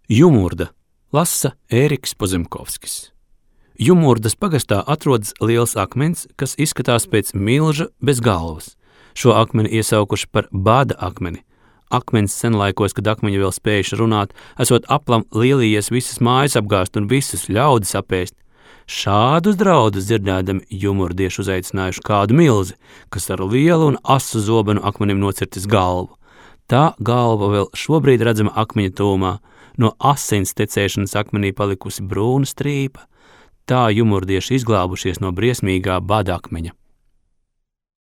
Jumurda lasa Ēriks Pozemkovskis. Jumurdas pagastā atrodas liels akmens, kas izskatās pēc milža bez galvas. Šo akmeni iesaukuši par bada akmeni. Akmens senlaikos, kad akmeņi vēl spējuši runāt, esot aplam lielījies visas mājas apgāst un visus ļaudis apēst. Šādus draudus dzirdēdami jumurdieši uzaicinājuši kādu milzi, kas ar lielu un asu zobenu akmenim nocirtis galvu. Tā galva vēl šobrīd redzama akmeņa tūmā, no asins tecēšanas akmenī palikusi brūna strīpa. Tā jumurdieši izglābušies no briesmīgā bada akmeņa.